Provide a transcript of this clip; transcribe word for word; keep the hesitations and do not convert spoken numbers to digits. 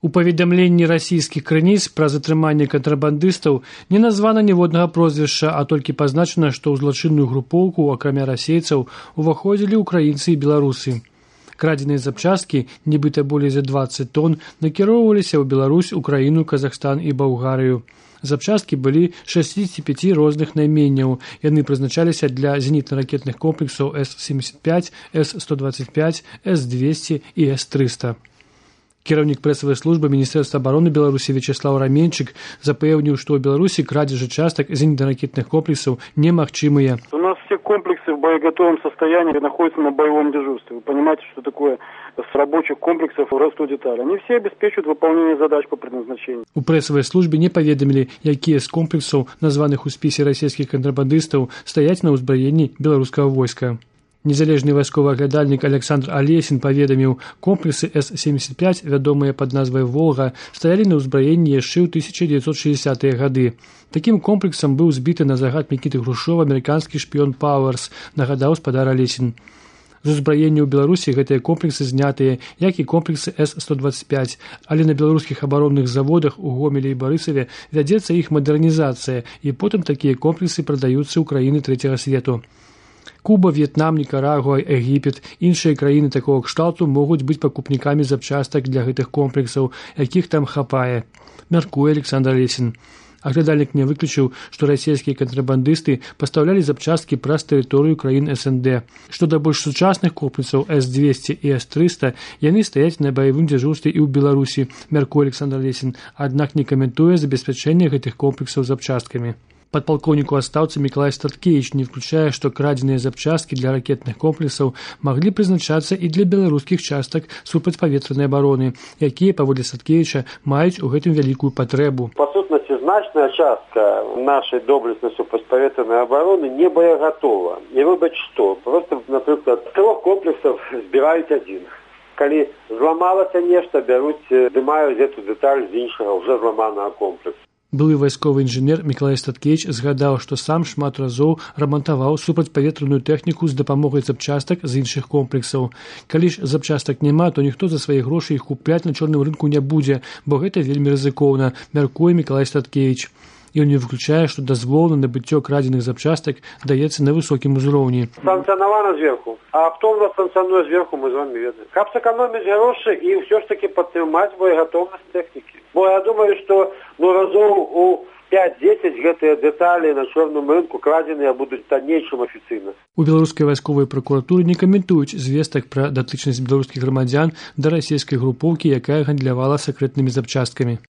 У паведамленні расійскіх крыніц пра затрыманне кантрабандыстаў не названа ніводнага прозвішча, а толькі пазначана, што ў злачынную групоўку, акрамя расейцаў, уваходзілі ўкраінцы і беларусы. Крадзеныя запчасткі, нібыта болей за дваццаць тонн, накіроўваліся ў Беларусь, Украіну, Казахстан і Балгарыю. Запчасткі былі шэсцідзесят пяць розных найменняў. Яны прызначаліся для зенітна-ракетных комплексаў эс семьдесят пять, эс сто двадцать пять, эс двести і эс триста. Кіраўнік прэсавай службы Міністэрства абароны Беларусі Вячеслав Раменчык запэўніў, што ў Беларусі крадзежы частак зенітна-ракетных комплексаў немагчымыя. У нас все комплексы в боеготовом состоянии находятся на боевом дежурстве. Вы понимаете, что такое с рабочих комплексов растут детали. Они все обеспечивают выполнение задач по предназначению. У прэсавай службе не паведамілі, якія з комплексаў, названых у спісе расійскіх кантрабандыстаў, стаяць на ўзбраенні беларускага войска. Незалежны вайсковы аглядальнік Александр Алесін паведаміў, комплексы эс семьдесят пять, вядомыя пад назвай «Волга», стаялі на ўзбраенні яшчэ ў тысяча девятьсот шестидесятые гады. Такім комплексам быў збіты на загад Мікіты Грушова амерыканскі шпіён Пауэрс, нагадаў спадар Алесін. З узбраення ў Беларусі гэтыя комплексы знятыя, як і комплексы эс сто двадцать пять, але на беларускіх абаронных заводах у Гомелі і Барысаве вядзецца іх мадэрнізацыя, і потым такія комплексы прадаюцца ў краіны трэцяга свету. Куба, В'етнам, Нікарагуа, Егіпет, іншыя краіны такого кшталту могуць быць пакупнікамі запчастак для гэтых комплексаў, якіх там хапае, мяркуе Александр Алесін. Аглядальнік не выключыў, што расійскія кантрабандысты пастаўлялі запчасткі праз тэрыторыю краін эс эн дэ. Што да больш сучасных комплексаў эс двести і эс триста, яны стаяць на баявым дзяжурстве і ў Беларусі, мяркуе Александр Алесін, аднак не каментуе забеспячэнне гэтых комплексаў запчасткамі. Падпалкоўнік у адстаўцы Мікалай Статкевіч не включае, што крадзеныя запчасткі для ракетных комплексаў маглі прызначацца і для беларускіх частак супрацьпаветранай абароны, якія, паводле Статкевіча, маюць у гэтым вялікую патрэбу. Па сутнасці, значная частка нашай доблеснай супрацьпаветранай абароны не боеготова. І выбач што, просто, напрыклад, з трох комплексаў збіраюць адзін. Калі зламалася нешта, бяруць, здымаюць гэту дэталь з іншага ўжо зламанага комплексу. Былы вайсковы інжынер Мікалай Статкевіч згадаў, што сам шмат разоў рамантаваў супрацьпаветраную тэхніку з дапамогай запчастак з іншых комплексаў. Калі ж запчастак няма, то ніхто за свае грошы іх купляць на чорным рынку не будзе, бо гэта вельмі рызыкоўна, мяркуе Мікалай Статкевіч. Ён не выключае, што дазвол на набыццё крадзеных запчастак даецца на высокім узроўні. Санкцыянавана зверху. А хто ў нас санкцыянуе зверху, мы з вами ведаем. Каб сэканоміць грошы і ўсё ж такі падтрымаць боегатоўнасць тэхнікі. Бо я думаю, што ну, разоў у пять-десять гэтыя дэталі на чорным рынку крадзеныя будуць танней, чым афіцыйна. У беларускай вайсковай пракуратуры не каментуюць звестак пра датычнасць беларускіх грамадзян да расійскай групоўкі, якая гандлявала сакрэтнымі запчасткамі.